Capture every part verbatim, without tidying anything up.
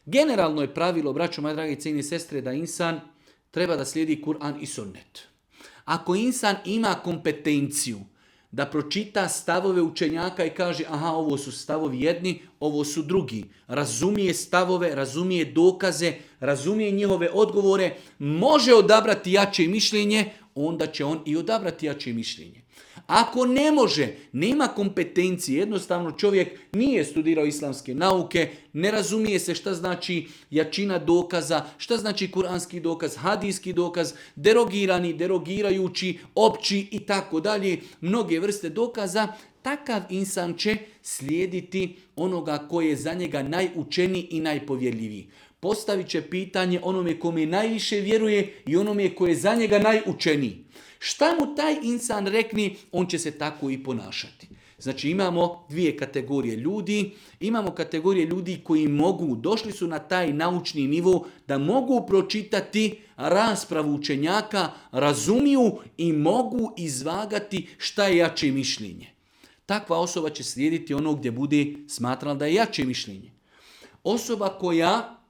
Generalno je pravilo, braćo moje dragi cijene sestre, da insan treba da slijedi Kur'an i sunnet. Ako insan ima kompetenciju da pročita stavove učenjaka i kaže aha, ovo su stavovi jedni, ovo su drugi, razumije stavove, razumije dokaze, razumije njihove odgovore, može odabrati jače mišljenje, onda će on i odabrati jače mišljenje. Ako ne može, nema kompetencije, jednostavno čovjek nije studirao islamske nauke, ne razumije se šta znači jačina dokaza, šta znači kuranski dokaz, hadijski dokaz, derogirani, derogirajući, opći i tako dalje, mnoge vrste dokaza, takav insan će slijediti onoga koji je za njega najučeniji i najpovjerljiviji. Postavit će pitanje onome kome najviše vjeruje i onome koji je za njega najučeniji. Šta mu taj insan rekni, on će se tako i ponašati. Znači imamo dvije kategorije ljudi. Imamo kategorije ljudi koji mogu, došli su na taj naučni nivo da mogu pročitati raspravu učenjaka, razumiju i mogu izvagati šta je jače mišljenje. Takva osoba će slijediti ono gdje bude smatrala da je jače mišljenje. Osoba koja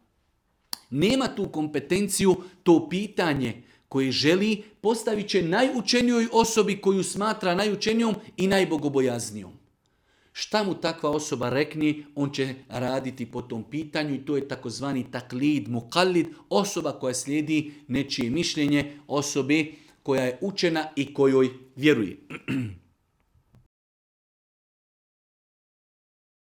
nema tu kompetenciju, to pitanje koje želi, postavit će najučenijoj osobi koju smatra najučenijom i najbogobojaznijom. Šta mu takva osoba rekni, on će raditi po tom pitanju i to je takozvani taklid, mukallid, osoba koja slijedi nečije mišljenje, osobe koja je učena i kojoj vjeruje.